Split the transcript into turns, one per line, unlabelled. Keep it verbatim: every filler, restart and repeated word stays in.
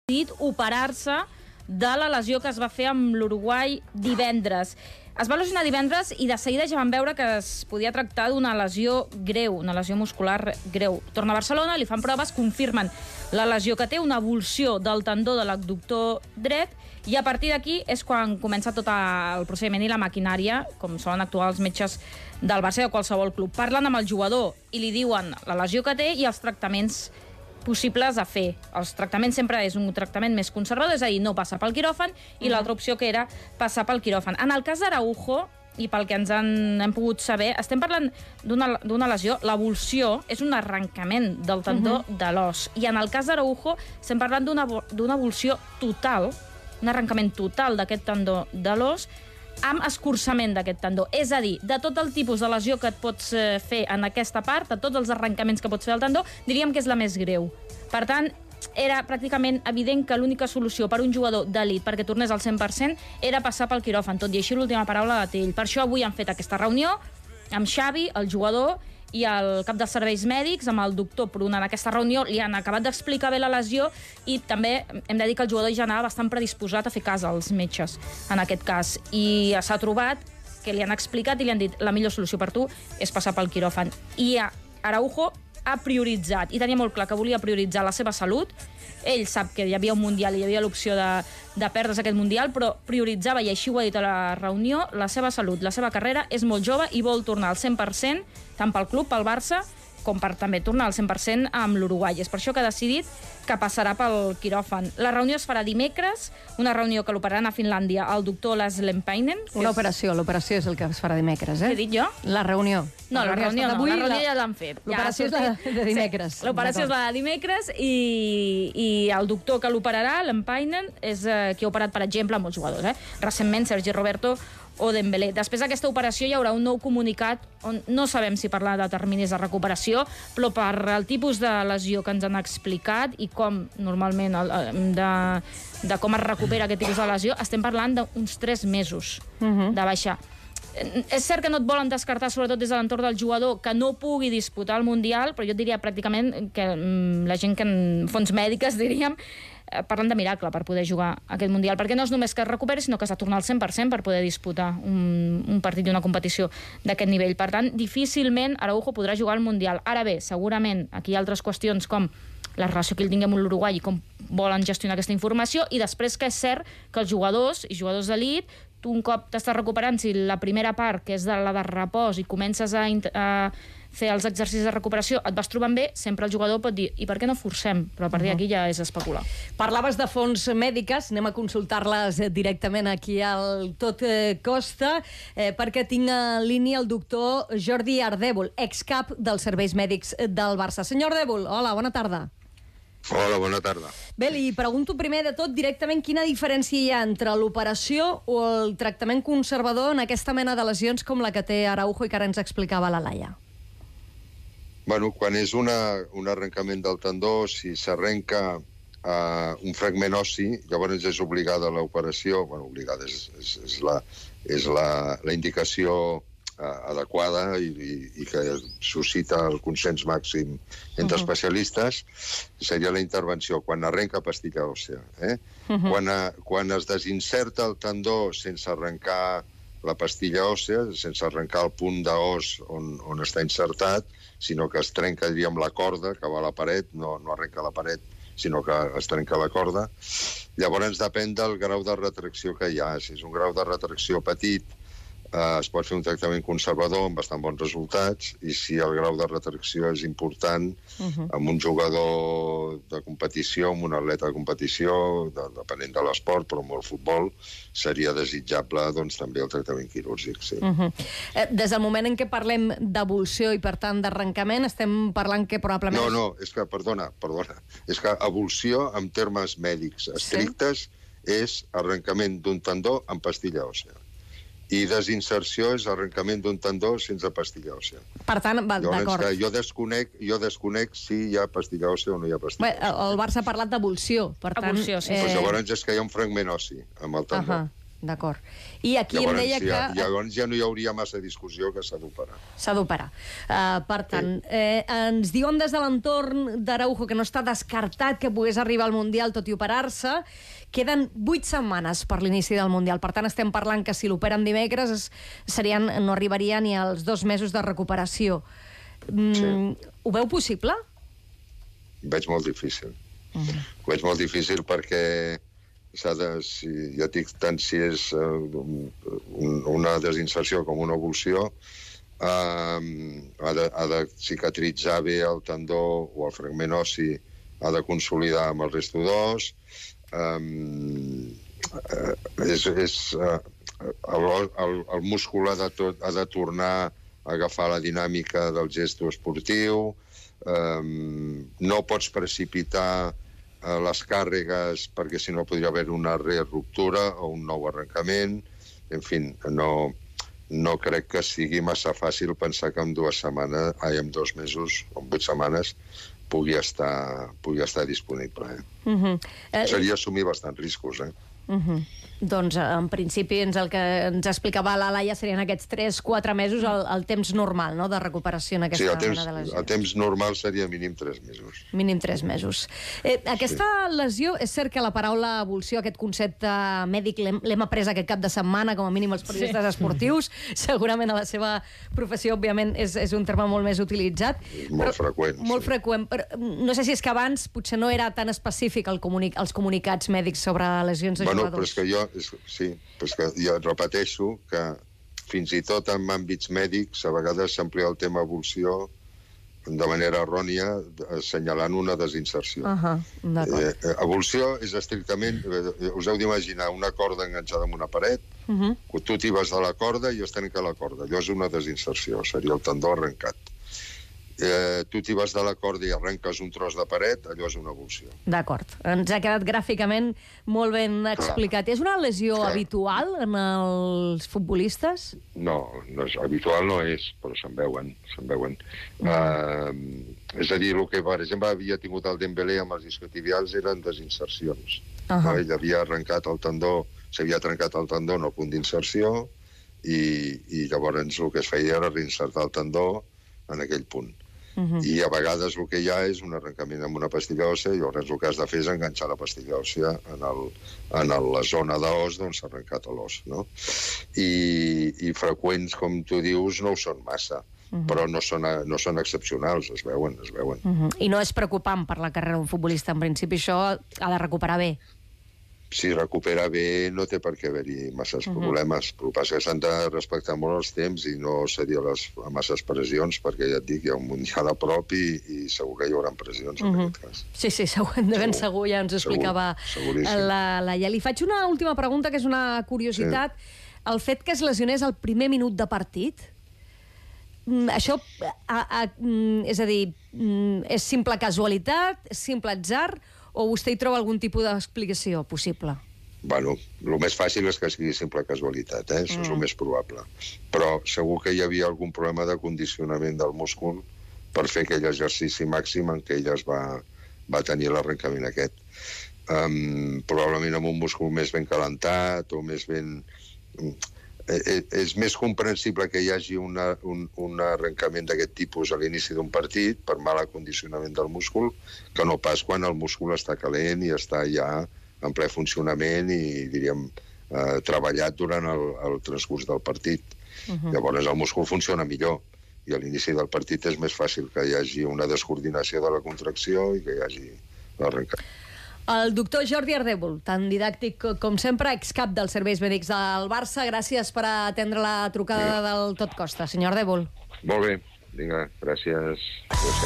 decidit operar-se de la lesió que es va fer amb l'Uruguai divendres. Es va lesionar divendres i de seguida ja van veure que es podia tractar d'una lesió greu, una lesió muscular greu. Torna a Barcelona, li fan proves, confirmen la lesió que té, una avulsió del tendó de l'abductor dret, i a partir d'aquí és quan comença tot el procediment i la maquinària, com solen actuar els metges del Barça i de qualsevol club. Parlen amb el jugador i li diuen la lesió que té i els tractaments possibles a fer. Els tractaments sempre és un tractament més conservador, és a dir, no passar pel quiròfan, i l'altra opció que era passar pel quiròfan. En el cas d'Araujo, i pel que ens han, hem pogut saber, estem parlant d'una lesió, l'avulsió és un arrencament del tendó uh-huh. de l'os, i en el cas d'Araujo estem parlant d'una avulsió total, un arrencament total d'aquest tendó de l'os, amb escurçament d'aquest tendó. És a dir, de tot el tipus de lesió que et pots fer en aquesta part, de tots els arrencaments que pots fer al tendó, diríem que és la més greu. Per tant, era pràcticament evident que l'única solució per un jugador d'elit perquè tornés al cent per cent era passar pel quiròfan. Tot i així, l'última paraula la té ell. Per això avui han fet aquesta reunió amb Xavi, el jugador, i el cap dels serveis mèdics, amb el doctor Pruna. En aquesta reunió li han acabat d'explicar bé la lesió i també hem de dir que el jugador ja anava bastant predisposat a fer cas als metges, en aquest cas. I s'ha trobat que li han explicat i li han dit la millor solució per tu és passar pel quiròfan. I Araujo ha prioritzat, i tenia molt clar que volia prioritzar la seva salut. Ell sap que hi havia un Mundial i hi havia l'opció de, de perdre's aquest Mundial, però prioritzava, i així ho ha dit a la reunió, la seva salut, la seva carrera. És molt jove i vol tornar al cent per cent, tant pel club, pel Barça, com per també tornar al cent per cent amb l'Uruguai. És per això que ha decidit que passarà pel quiròfan. La reunió es farà dimecres, una reunió que l'operaran a Finlàndia el doctor Lars Lempainen.
Una operació, l'operació és el que es farà dimecres, eh?
Què he dit jo?
La reunió.
No, la reunió no, la reunió ja l'han fet.
L'operació és la de dimecres.
L'operació és la de dimecres i, i el doctor que l'operarà, Lempainen, és eh, qui ha operat, per exemple, molts jugadors, eh? Recentment, Sergi Roberto o Dembélé. Després d'aquesta operació hi haurà un nou comunicat on no sabem si parlar de terminis de recuperació, però per el tipus de lesió que ens han explicat i com normalment de, de com es recupera aquest tipus de lesió, estem parlant d'uns tres mesos uh-huh. de baixa. És cert que no et volen descartar, sobretot des de l'entorn del jugador, que no pugui disputar el Mundial, però jo diria pràcticament que la gent que en fons mèdiques, diríem, parlen de miracle per poder jugar aquest Mundial, perquè no és només que es recuperi, sinó que s'ha de tornar al cent per cent per poder disputar un, un partit i una competició d'aquest nivell. Per tant, difícilment Araujo podrà jugar al Mundial. Ara bé, segurament aquí hi ha altres qüestions com la relació que ell tingui amb l'Uruguai i com volen gestionar aquesta informació, i després que és cert que els jugadors i jugadors d'elit, tu un cop t'estàs recuperant, si la primera part, que és de la de repòs, i comences a, a fer els exercicis de recuperació, et vas trobant bé, sempre el jugador pot dir i per què no forcem? Però a partir d'aquí ja és especular.
Parlaves de fonts mèdiques, anem a consultar-les directament aquí al Tot Costa, eh, perquè tinc en línia el doctor Jordi Ardèvol, excap dels serveis mèdics del Barça. Senyor Ardèvol, hola, bona tarda.
Hola, bona tarda.
Bé, li pregunto primer de tot directament quina diferència hi ha entre l'operació o el tractament conservador en aquesta mena de lesions com la que té Araujo i que ara ens explicava la Laia.
Bueno, quan és una, un arrencament del tendó, si s'arrenca uh, un fragment ossi, llavors és obligada l'operació, bueno, obligada és, és, és, la, és la, la indicació uh, adequada i, i, i que suscita el consens màxim entre uh-huh. especialistes, seria la intervenció quan arrenca pastilla òssea. Eh? Uh-huh. Quan, uh, quan es desinserta el tendó sense arrencar la pastilla òssea, sense arrencar el punt d'os on, on està insertat, sinó que es trenca, diríem, la corda que va a la paret, no, no arrenca la paret, sinó que es trenca la corda. Llavors depèn del grau de retracció que hi ha. Si és un grau de retracció petit, eh, es pot fer un tractament conservador amb bastant bons resultats, i si el grau de retracció és important, uh-huh. amb un jugador de competició, amb un atleta de competició, de, depenent de l'esport, però amb el futbol, seria desitjable doncs, també el tractament quirúrgic. Sí.
Uh-huh. eh, des del moment en què parlem d'avulsió i, per tant, d'arrencament, estem parlant que probablement...
No, no, és que, perdona, perdona, és que avulsió, en termes mèdics estrictes, sí? És arrencament d'un tendó amb pastilla òssea. I desinserció és arrencament d'un tendó sense pastilla òssea.
Per tant, d'acord.
Jo desconec, jo desconec si hi ha pastilla òssea o no hi ha pastilla òssea.
El Barça ha parlat d'avulsió, per tant...
Avulsió, sí.
Eh...
Pues llavors és que hi ha un fragment ossi amb el tendó.
Uh-huh. D'acord. I aquí
llavors,
em deia
ja,
que...
Llavors ja no hi hauria massa discussió que s'ha d'operar.
S'ha d'operar. Uh, per tant, eh, ens diuen des de l'entorn d'Araujo que no està descartat que pogués arribar al Mundial tot i operar-se. Queden vuit setmanes per l'inici del Mundial. Per tant, estem parlant que si l'operen dimecres es, serien, no arribaria ni als dos mesos de recuperació. Mm, sí. Ho veu possible?
Ho veig molt difícil.
Mm.
Ho veig molt difícil perquè s'ha de, si, ja dic, tant si és uh, un, una desinserció com una evolució, uh, ha, de, ha de cicatritzar bé el tendó o el fragment ossi, ha de consolidar amb el resto d'os, um, uh, és, és, uh, el, el, el múscul ha de, tot, ha de tornar a agafar la dinàmica del gesto esportiu, um, no pots precipitar les càrregues, perquè si no podria haver una re-ruptura o un nou arrencament. En fi, no, no crec que sigui massa fàcil pensar que en dues setmanes, ai, en dos mesos o en vuit setmanes pugui estar, pugui estar disponible. Eh? Uh -huh. eh, Seria assumir bastants riscos, eh?
Uh -huh. Doncs, en principi, ens el que ens explicava la Laia serien aquests tres quatre mesos, el, el temps normal, no?, de recuperació en aquesta
sí, el temps,
mena de lesió.
El temps normal seria mínim tres mesos.
Mínim tres mesos. Eh, aquesta sí. lesió, és cert que la paraula evolució, aquest concepte mèdic, l'hem après aquest cap de setmana, com a mínim els periodistes sí. esportius. Segurament a la seva professió, òbviament, és, és un terme molt més utilitzat.
Molt
però,
freqüent.
Molt
sí.
freqüent. Però no sé si és que abans potser no era tan específic el comuni els comunicats mèdics sobre lesions de
bueno,
jugadors.
Però és que jo, és, sí, però és que jo repeteixo que fins i tot en àmbits mèdics a vegades s'amplia el tema evolució de manera errònia, assenyalant una desinserció. Uh -huh, eh, evolució és estrictament, eh, us heu d'imaginar una corda enganxada en una paret, uh -huh. tu t'hi vas de la corda i es trenca la corda. Allò és una desinserció, seria el tendó arrencat. Eh, tu t'hi vas de la corda i arrenques un tros de paret, allò és una evolució.
D'acord. Ens ha quedat gràficament molt ben explicat. Clar. És una lesió Clar. habitual en els futbolistes?
No, no és, habitual no és, però se'n veuen. Se'n veuen. Mm. Uh, és a dir, el que, per exemple, havia tingut el Dembélé amb els isquiotibials eren desinsercions. Uh -huh. no? Ell havia arrencat el tendó, s'havia trencat el tendó en el punt d'inserció i, i llavors el que es feia era reinsertar el tendó en aquell punt. Uh-huh. I a vegades el que hi ha és un arrencament amb una pastilla òssia i llavors el que has de fer és enganxar la pastilla òssia en, el, en el, la zona d'os d'on s'ha arrencat l'os, no? I, I freqüents, com tu dius, no ho són massa, uh-huh. però no són, no són excepcionals, es veuen, es veuen.
Uh-huh. I no és preocupant per la carrera d'un futbolista, en principi això ha de recuperar bé.
Si recupera bé, no té per què haver-hi masses uh-huh. problemes. Però el que passa és que s'han de respectar molt els temps i no cedir a les a masses pressions, perquè ja et dic, hi ha un mundial a prop i, i segur que hi haurà pressions en uh-huh. aquest cas.
Sí, sí, segur, de ben segur, segur ja ens ho explicava
segur,
la Laia. Li faig una última pregunta, que és una curiositat. Sí. El fet que es lesionés al primer minut de partit, això, a, a, és a dir, és simple casualitat, és simple atzar, o vostè hi troba algun tipus d'explicació possible?
Bueno, el més fàcil és que sigui simple casualitat, eh? Això mm. és el més probable. Però segur que hi havia algun problema de condicionament del múscul per fer aquell exercici màxim en què ella es va, va tenir l'arrencament aquest. Um, probablement amb un múscul més ben calentat o més ben... És més comprensible que hi hagi una, un, un arrencament d'aquest tipus a l'inici d'un partit per mal acondicionament del múscul que no pas quan el múscul està calent i està ja en ple funcionament i, diríem, eh, treballat durant el, el transcurs del partit. Uh-huh. Llavors el múscul funciona millor i a l'inici del partit és més fàcil que hi hagi una descoordinació de la contracció i que hi hagi l'arrencament.
El doctor Jordi Ardèvol, tan didàctic com sempre, excap dels serveis mèdics del Barça. Gràcies per atendre la trucada del Tot Costa, senyor Ardèvol.
Molt bé, vinga, gràcies. Gràcies.